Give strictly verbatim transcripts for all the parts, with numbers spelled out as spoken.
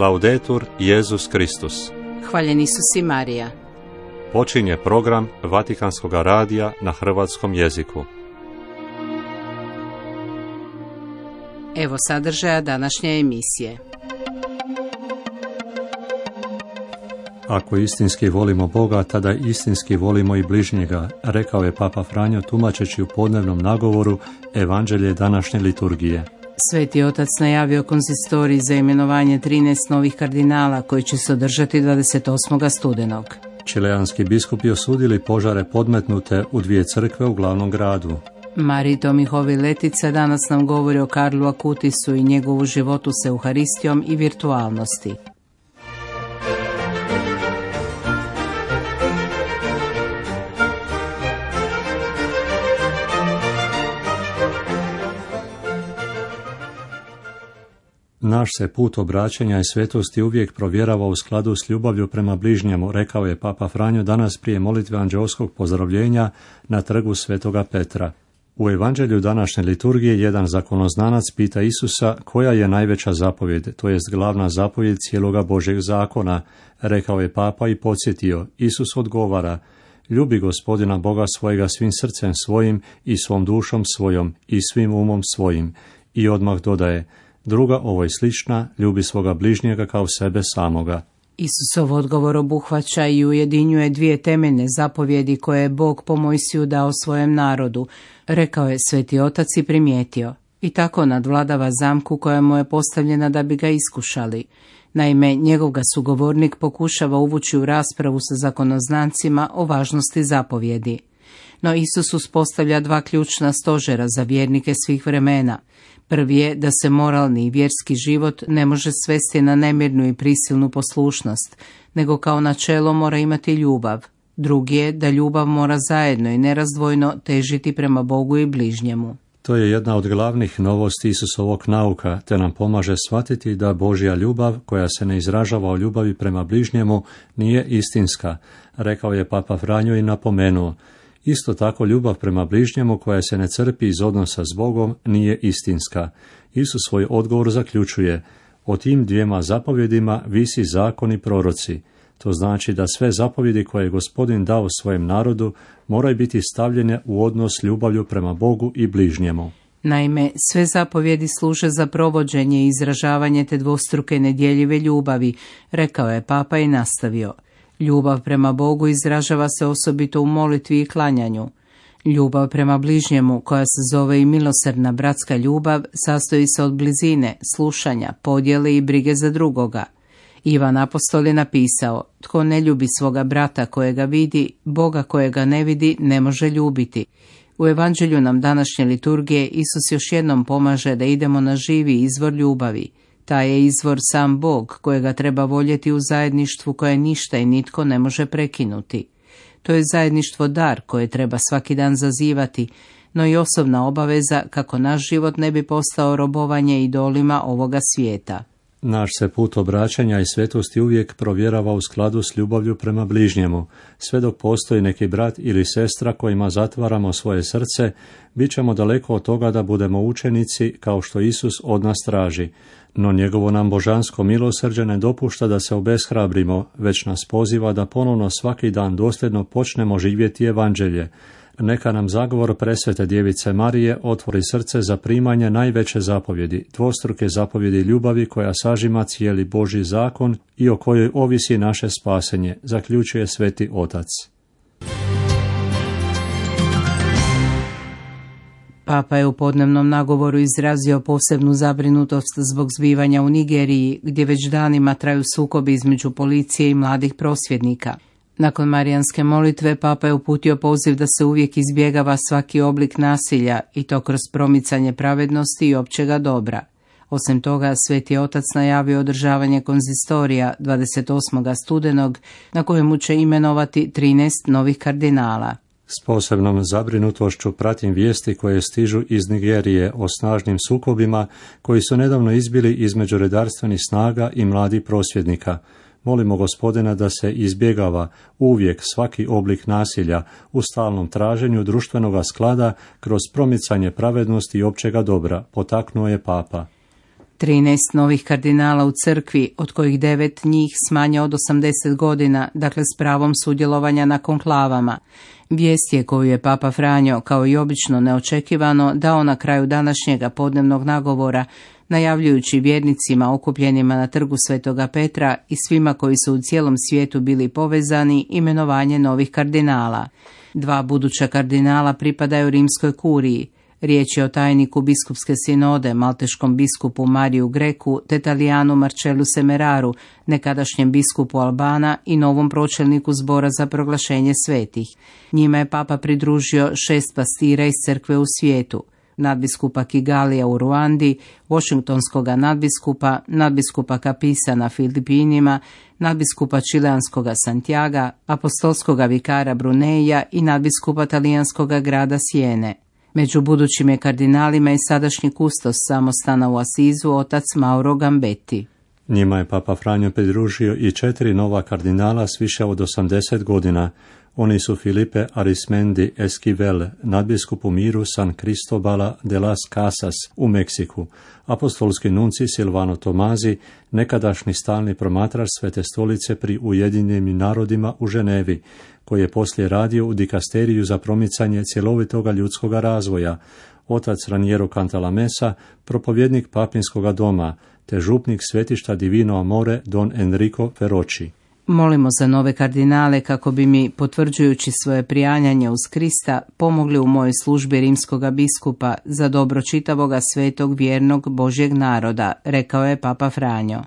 Laudetur Jesus Kristus. Hvaljen Isus i Marija. Počinje program Vatikanskog radija na hrvatskom jeziku. Evo sadržaja današnje emisije. Ako istinski volimo Boga, tada istinski volimo i bližnjega, rekao je Papa Franjo tumačeći u podnevnom nagovoru Evanđelje današnje liturgije. Sveti otac najavio konzistorij za imenovanje trinaest novih kardinala koji će se održati dvadeset osmog studenog. Čileanski biskupi osudili požare podmetnute u dvije crkve u glavnom gradu. Marij Tomihovi Letica danas nam govori o Karlu Akutisu i njegovu životu s Euharistijom i virtualnosti. Naš se put obraćanja i svetosti uvijek provjerava u skladu s ljubavlju prema bližnjemu, rekao je Papa Franjo danas prije molitve anđeoskog pozdravljenja na trgu Svetoga Petra. U Evanđelju današnje liturgije jedan zakonoznanac pita Isusa koja je najveća zapovjed, to jest glavna zapovjed cijeloga Božjeg zakona, rekao je Papa i podsjetio. Isus odgovara: ljubi Gospodina Boga svojega svim srcem svojim i svom dušom svojom i svim umom svojim. I odmah dodaje: druga ovoj slična, ljubi svoga bližnjega kao sebe samoga. Isusov odgovor obuhvaća i ujedinjuje dvije temeljne zapovjedi koje je Bog po Mojsiju dao svojem narodu, rekao je Sveti Otac i primijetio. I tako nadvladava zamku koja mu je postavljena da bi ga iskušali. Naime, njegov ga sugovornik pokušava uvući u raspravu sa zakonoznancima o važnosti zapovjedi. No Isus uspostavlja dva ključna stožera za vjernike svih vremena. Prvi je da se moralni i vjerski život ne može svesti na nemirnu i prisilnu poslušnost, nego kao načelo mora imati ljubav. Drugi je da ljubav mora zajedno i nerazdvojno težiti prema Bogu i bližnjemu. To je jedna od glavnih novosti Isusovog nauka, te nam pomaže shvatiti da Božja ljubav, koja se ne izražava o ljubavi prema bližnjemu, nije istinska, rekao je Papa Franjo i napomenuo. Isto tako ljubav prema bližnjemu koja se ne crpi iz odnosa s Bogom nije istinska. Isus svoj odgovor zaključuje: o tim dvijema zapovjedima visi zakon i proroci. To znači da sve zapovjedi koje je Gospodin dao svojem narodu moraju biti stavljene u odnos ljubavlju prema Bogu i bližnjemu. Naime, sve zapovjedi služe za provođenje i izražavanje te dvostruke nedjeljive ljubavi, rekao je Papa i nastavio. Ljubav prema Bogu izražava se osobito u molitvi i klanjanju. Ljubav prema bližnjemu, koja se zove i milosrdna bratska ljubav, sastoji se od blizine, slušanja, podjele i brige za drugoga. Ivan apostol je napisao: tko ne ljubi svoga brata kojega vidi, Boga kojega ne vidi ne može ljubiti. U Evanđelju nam današnje liturgije Isus još jednom pomaže da idemo na živi izvor ljubavi. Taj je izvor sam Bog, kojega treba voljeti u zajedništvu koje ništa i nitko ne može prekinuti. To je zajedništvo dar koje treba svaki dan zazivati, no i osobna obaveza kako naš život ne bi postao robovanje idolima ovoga svijeta. Naš se put obraćanja i svetosti uvijek provjerava u skladu s ljubavlju prema bližnjemu. Sve dok postoji neki brat ili sestra kojima zatvaramo svoje srce, bit ćemo daleko od toga da budemo učenici kao što Isus od nas traži. No njegovo nam božansko milosrđe ne dopušta da se obeshrabrimo, već nas poziva da ponovno svaki dan dosljedno počnemo živjeti Evanđelje. Neka nam zagovor presvete djevice Marije otvori srce za primanje najveće zapovjedi, dvostruke zapovjedi ljubavi koja sažima cijeli Božji zakon i o kojoj ovisi naše spasenje, zaključuje Sveti Otac. Papa je u podnevnom nagovoru izrazio posebnu zabrinutost zbog zbivanja u Nigeriji, gdje već danima traju sukobi između policije i mladih prosvjednika. Nakon marijanske molitve, Papa je uputio poziv da se uvijek izbjegava svaki oblik nasilja i to kroz promicanje pravednosti i općega dobra. Osim toga, Sveti Otac najavio održavanje konzistorija dvadeset osmog studenog, na kojemu će imenovati trinaest novih kardinala. S posebnom zabrinutošću pratim vijesti koje stižu iz Nigerije o snažnim sukobima koji su nedavno izbili između redarstvenih snaga i mladih prosvjednika. Molimo Gospodina da se izbjegava uvijek svaki oblik nasilja u stalnom traženju društvenoga sklada kroz promicanje pravednosti i općega dobra, potaknuo je Papa. trinaest novih kardinala u crkvi, od kojih devet njih s manje od osamdeset godina, dakle s pravom sudjelovanja na konklavama. Vijest je koju je Papa Franjo, kao i obično neočekivano, dao na kraju današnjega podnevnog nagovora, najavljujući vjernicima okupljenima na trgu Svetoga Petra i svima koji su u cijelom svijetu bili povezani imenovanje novih kardinala. Dva buduća kardinala pripadaju rimskoj kuriji. Riječ je o tajniku biskupske sinode, malteškom biskupu Mariju Greku, te Talijanu Marcellu Semeraru, nekadašnjem biskupu Albana i novom pročelniku zbora za proglašenje svetih. Njima je Papa pridružio šest pastira iz crkve u svijetu: nadbiskupa Kigalija u Ruandi, washingtonskoga nadbiskupa, nadbiskupa Kapisa na Filipinima, nadbiskupa čileanskoga Santiaga, apostolskoga vikara Bruneja i nadbiskupa talijanskoga grada Siene. Među budućim je kardinalima i sadašnji kustos samostana u Asizu, otac Mauro Gambetti. Njima je Papa Franjo pridružio i četiri nova kardinala s više od osamdeset godina. Oni su Filipe Arismendi Esquivel, nadbiskup u miru San Cristobala de las Casas u Meksiku, apostolski nunci Silvano Tomazi, nekadašnji stalni promatrač Svete stolice pri Ujedinjenim narodima u Ženevi, koji je poslije radio u dikasteriju za promicanje cjelovitoga ljudskoga razvoja, otac Raniero Cantalamessa, propovjednik papinskoga doma, te župnik svetišta Divino Amore Don Enrico Ferroci. Molimo za nove kardinale kako bi mi, potvrđujući svoje prijanjanje uz Krista, pomogli u mojoj službi rimskoga biskupa za dobro čitavoga svetog vjernog Božjeg naroda, rekao je Papa Franjo.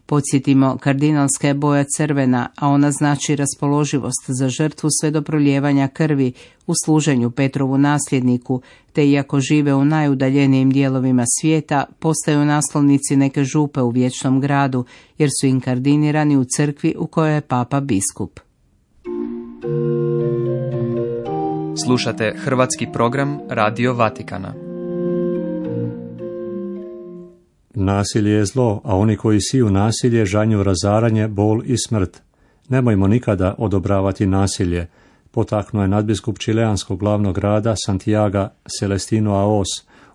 Podsjetimo, kardinalska je boja crvena, a ona znači raspoloživost za žrtvu sve do prolijevanja krvi u služenju Petrovu nasljedniku, te iako žive u najudaljenijim dijelovima svijeta, postaju naslovnici neke župe u vječnom gradu, jer su inkardinirani u crkvi u kojoj je Papa biskup. Slušate hrvatski program Radio Vatikana. Nasilje je zlo, a oni koji siju nasilje žanju razaranje, bol i smrt. Nemojmo nikada odobravati nasilje, potaknuo je nadbiskup čileanskog glavnog grada Santiaga Celestino Aos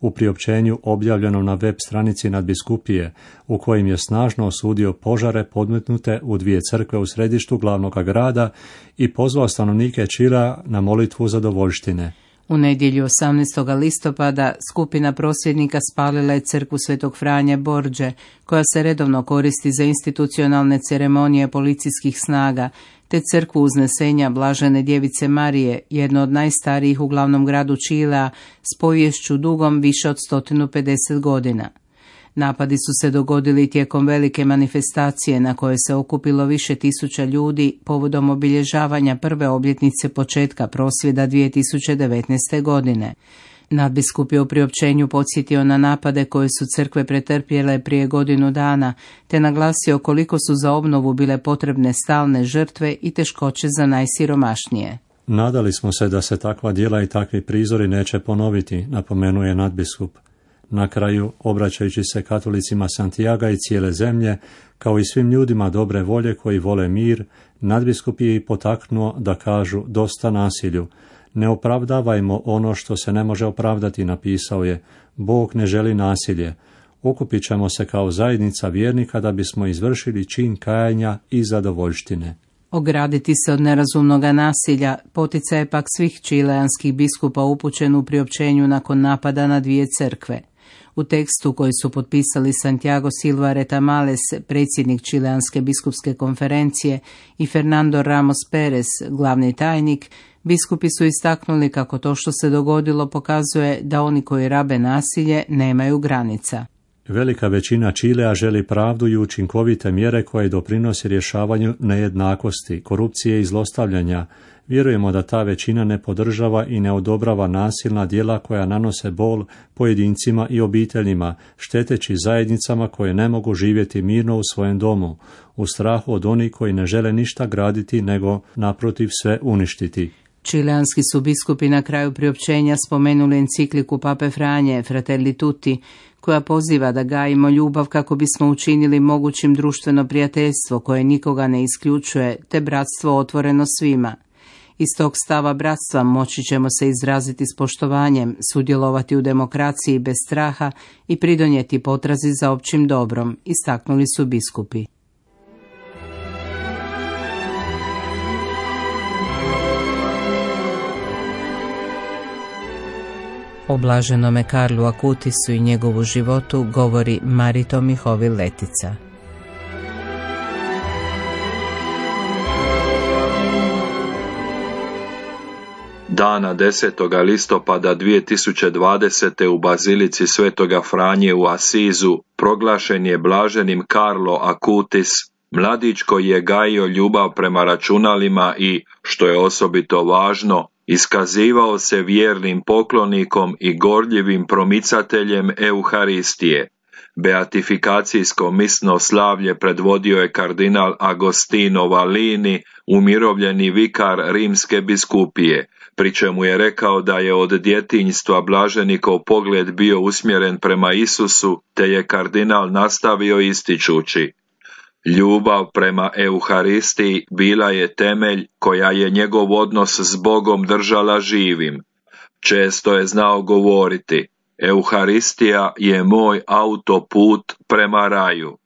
u priopćenju objavljenom na web stranici nadbiskupije, u kojim je snažno osudio požare podmetnute u dvije crkve u središtu glavnog grada i pozvao stanovnike Čilea na molitvu zadovoljštine. U nedjelju osamnaestog listopada skupina prosvjednika spalila je crkvu Svetog Franje Borđe, koja se redovno koristi za institucionalne ceremonije policijskih snaga, te crkvu Uznesenja Blažene djevice Marije, jedno od najstarijih u glavnom gradu Čilea, s poviješću dugom više od sto pedeset godina. Napadi su se dogodili tijekom velike manifestacije na kojoj se okupilo više tisuća ljudi povodom obilježavanja prve obljetnice početka prosvjeda dvije tisuće devetnaeste. godine. Nadbiskup je u priopćenju podsjetio na napade koje su crkve pretrpjele prije godinu dana, te naglasio koliko su za obnovu bile potrebne stalne žrtve i teškoće za najsiromašnije. Nadali smo se da se takva djela i takvi prizori neće ponoviti, napomenuje nadbiskup. Na kraju, obraćajući se katolicima Santiaga i cijele zemlje, kao i svim ljudima dobre volje koji vole mir, nadbiskup je i potaknuo da kažu dosta nasilju. Ne opravdavajmo ono što se ne može opravdati, napisao je. Bog ne želi nasilje. Okupit ćemo se kao zajednica vjernika da bismo izvršili čin kajanja i zadovoljštine. Ograditi se od nerazumnoga nasilja poticaj je pak svih čileanskih biskupa upućen u priopćenju nakon napada na dvije crkve. U tekstu koji su potpisali Santiago Silva Retamales, predsjednik Čileanske biskupske konferencije, i Fernando Ramos Perez, glavni tajnik, biskupi su istaknuli kako to što se dogodilo pokazuje da oni koji rabe nasilje nemaju granica. Velika većina Čilea želi pravdu i učinkovite mjere koje doprinose rješavanju nejednakosti, korupcije i zlostavljanja. Vjerujemo da ta većina ne podržava i ne odobrava nasilna djela koja nanose bol pojedincima i obiteljima, šteteći zajednicama koje ne mogu živjeti mirno u svojem domu, u strahu od onih koji ne žele ništa graditi nego naprotiv sve uništiti. Čileanski su biskupi na kraju priopćenja spomenuli encikliku Pape Franje Fratelli Tutti, koja poziva da gajimo ljubav kako bismo učinili mogućim društveno prijateljstvo koje nikoga ne isključuje, te bratstvo otvoreno svima. Iz tog stava bratstva moći ćemo se izraziti s poštovanjem, sudjelovati u demokraciji bez straha i pridonijeti potrazi za općim dobrom, istaknuli su biskupi. O blaženome Karlu Akutisu i njegovu životu govori Marito Mihovil Letica. Dana desetog listopada dvije tisuće dvadesete. u Bazilici Svetoga Franje u Asizu proglašen je blaženim Karlo Akutis, mladić koji je gajio ljubav prema računalima i, što je osobito važno, iskazivao se vjernim poklonikom i gorljivim promicateljem Euharistije. Beatifikacijsko misno slavlje predvodio je kardinal Agostino Valini, umirovljeni vikar rimske biskupije, pri čemu je rekao da je od djetinjstva blaženikov pogled bio usmjeren prema Isusu, te je kardinal nastavio ističući: ljubav prema Euharistiji bila je temelj koja je njegov odnos s Bogom držala živim. Često je znao govoriti: Euharistija je moj autoput prema raju.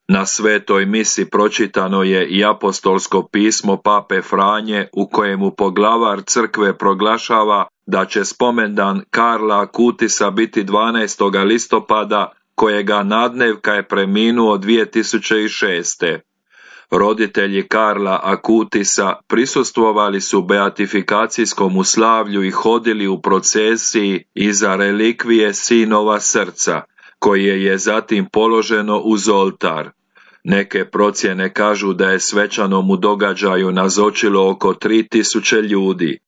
Na svetoj misi pročitano je i apostolsko pismo pape Franje u kojemu poglavar crkve proglašava da će spomendan Karla Akutisa biti dvanaestog listopada, kojega nadnevka je preminuo dvije tisuće šeste. Roditelji Karla Akutisa prisustvovali su beatifikacijskom slavlju i hodili u procesiji iza relikvije sinova srca, koje je zatim položeno uz oltar. Neke procjene kažu da je svečanom u događaju nazočilo oko tri tisuće ljudi.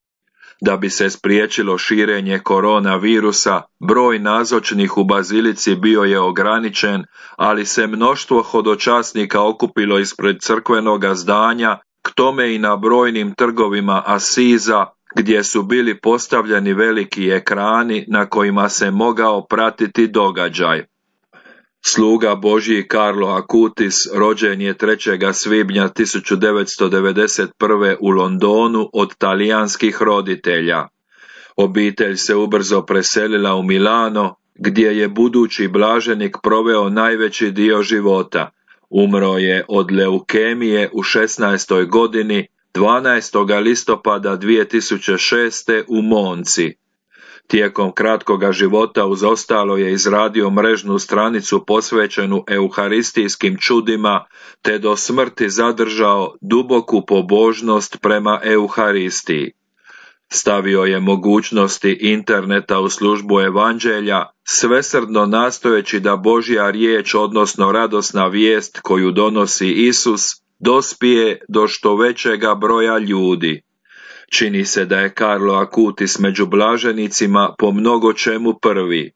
Da bi se spriječilo širenje koronavirusa, broj nazočnih u bazilici bio je ograničen, ali se mnoštvo hodočasnika okupilo ispred crkvenoga zdanja, k tome i na brojnim trgovima Asiza, gdje su bili postavljeni veliki ekrani na kojima se mogao pratiti događaj. Sluga Božji Karlo Akutis rođen je trećeg svibnja tisuću devetsto devedeset prve. u Londonu od talijanskih roditelja. Obitelj se ubrzo preselila u Milano, gdje je budući blaženik proveo najveći dio života. Umro je od leukemije u šesnaestoj godini, dvanaestog listopada dvije tisuće šeste. u Monci. Tijekom kratkoga života uz ostalo je izradio mrežnu stranicu posvećenu euharistijskim čudima, te do smrti zadržao duboku pobožnost prema Euharistiji. Stavio je mogućnosti interneta u službu evanđelja, svesrdno nastojeći da Božja riječ, odnosno radosna vijest koju donosi Isus, dospije do što većega broja ljudi. Čini se da je Karlo Akutis među blaženicima po mnogo čemu prvi.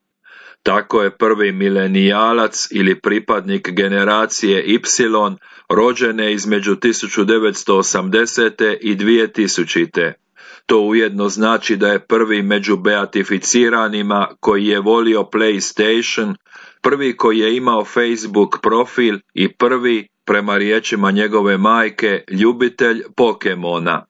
Tako je prvi milenijalac ili pripadnik generacije Y, rođene između tisuću devetsto osamdesete. i dvije tisućite. To ujedno znači da je prvi među beatificiranima koji je volio PlayStation, prvi koji je imao Facebook profil i prvi, prema riječima njegove majke, ljubitelj Pokemona.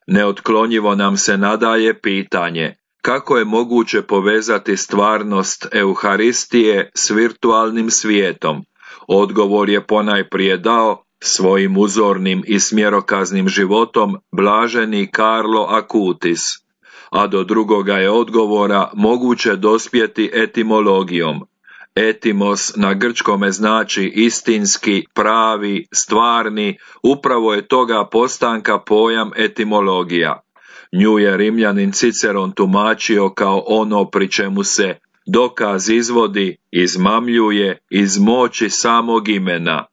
Neotklonjivo nam se nadaje pitanje: kako je moguće povezati stvarnost Euharistije s virtualnim svijetom? Odgovor je ponajprije dao svojim uzornim i smjerokaznim životom blaženi Karlo Akutis, a do drugoga je odgovora moguće dospjeti etimologijom. Etimos na grčkome znači istinski, pravi, stvarni, upravo je toga postanka pojam etimologija. Nju je Rimljanin Ciceron tumačio kao ono pri čemu se dokaz izvodi, izmamljuje iz moći samog imena.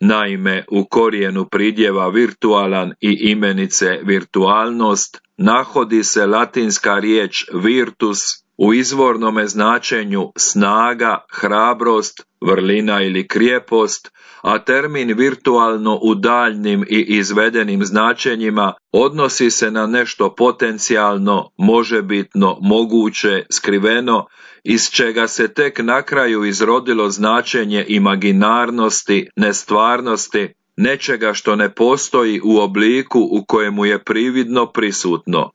Naime, u korijenu pridjeva virtualan i imenice virtualnost nahodi se latinska riječ virtus, u izvornome značenju snaga, hrabrost, vrlina ili krijepost, a termin virtualno u daljnim i izvedenim značenjima odnosi se na nešto potencijalno, možebitno, moguće, skriveno, iz čega se tek na kraju izrodilo značenje imaginarnosti, nestvarnosti, nečega što ne postoji u obliku u kojemu je prividno prisutno.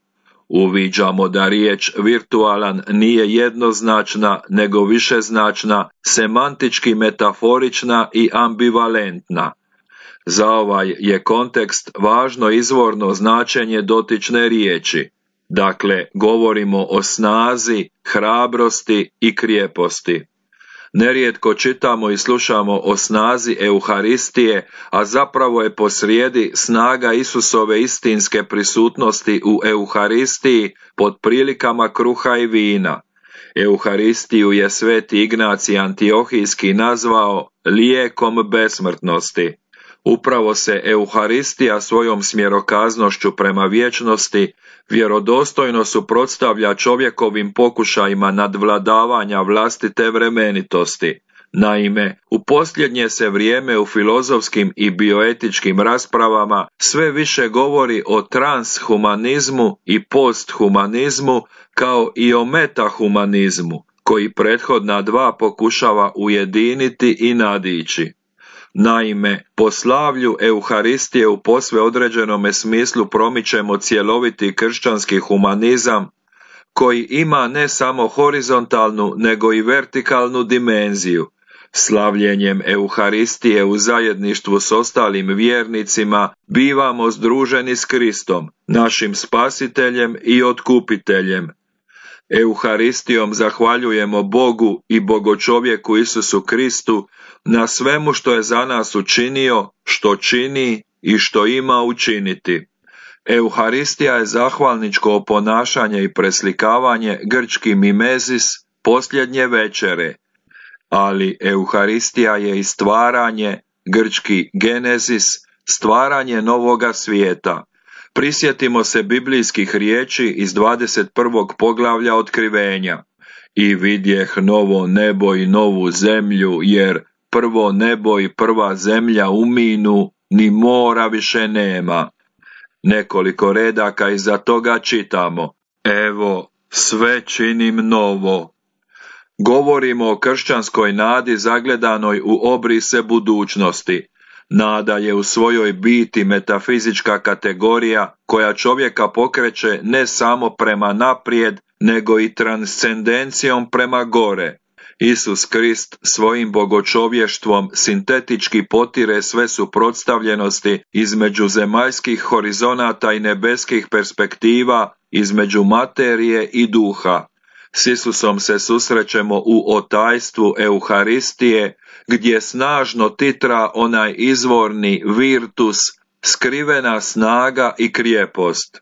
Uviđamo da riječ virtualan nije jednoznačna, nego višeznačna, semantički metaforična i ambivalentna. Za ovaj je kontekst važno izvorno značenje dotične riječi. Dakle, govorimo o snazi, hrabrosti i krijeposti. Nerijetko čitamo i slušamo o snazi Euharistije, a zapravo je posrijedi snaga Isusove istinske prisutnosti u Euharistiji pod prilikama kruha i vina. Euharistiju je sveti Ignacij Antiohijski nazvao lijekom besmrtnosti. Upravo se Euharistija svojom smjerokaznošću prema vječnosti vjerodostojno suprotstavlja čovjekovim pokušajima nadvladavanja vlastite vremenitosti. Naime, u posljednje se vrijeme u filozofskim i bioetičkim raspravama sve više govori o transhumanizmu i posthumanizmu kao i o metahumanizmu, koji prethodna dva pokušava ujediniti i nadići. Naime, po slavlju Euharistije u posve određenome smislu promičemo cjeloviti kršćanski humanizam koji ima ne samo horizontalnu nego i vertikalnu dimenziju. Slavljenjem Euharistije u zajedništvu s ostalim vjernicima bivamo združeni s Kristom, našim spasiteljem i otkupiteljem. Euharistijom zahvaljujemo Bogu i Bogočovjeku Isusu Kristu na svemu što je za nas učinio, što čini i što ima učiniti. Euharistija je zahvalničko oponašanje i preslikavanje grčki mimezis, posljednje večere, ali Euharistija je i stvaranje, grčki genezis, stvaranje novoga svijeta. Prisjetimo se biblijskih riječi iz dvadeset prvog poglavlja Otkrivenja. I vidjeh novo nebo i novu zemlju, jer prvo nebo i prva zemlja uminu, ni mora više nema. Nekoliko redaka iza toga čitamo: evo, sve činim novo. Govorimo o kršćanskoj nadi zagledanoj u obrise budućnosti. Nada je u svojoj biti metafizička kategorija koja čovjeka pokreće ne samo prema naprijed, nego i transcendencijom prema gore. Isus Krist svojim bogočovještvom sintetički potire sve suprotstavljenosti između zemaljskih horizonata i nebeskih perspektiva, između materije i duha. S Isusom se susrećemo u otajstvu Euharistije, gdje snažno titra onaj izvorni virtus, skrivena snaga i krijepost.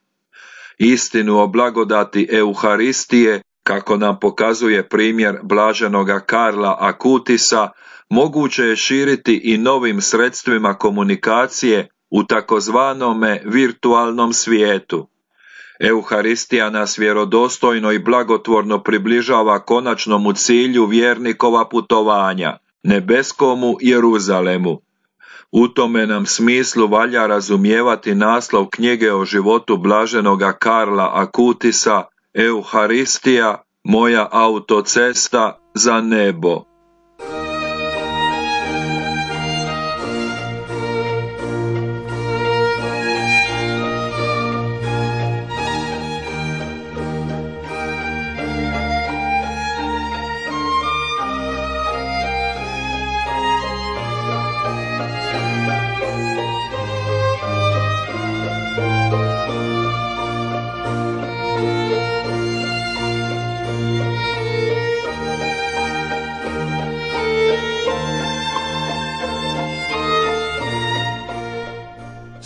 Istinu o blagodati Euharistije, kako nam pokazuje primjer blaženoga Karla Akutisa, moguće je širiti i novim sredstvima komunikacije u takozvanome virtualnom svijetu. Euharistija nas vjerodostojno i blagotvorno približava konačnomu cilju vjernikova putovanja, nebeskomu Jeruzalemu. U tome nam smislu valja razumijevati naslov knjige o životu blaženoga Karla Akutisa, Euharistija, moja autocesta za nebo.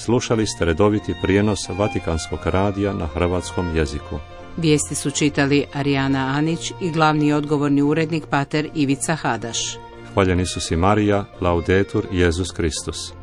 Slušali ste redoviti prijenos Vatikanskog radija na hrvatskom jeziku. Vijesti su čitali Arijana Anić i glavni odgovorni urednik pater Ivica Hadaš. Hvaljen Isus i Marija, laudetur Jesus Kristus.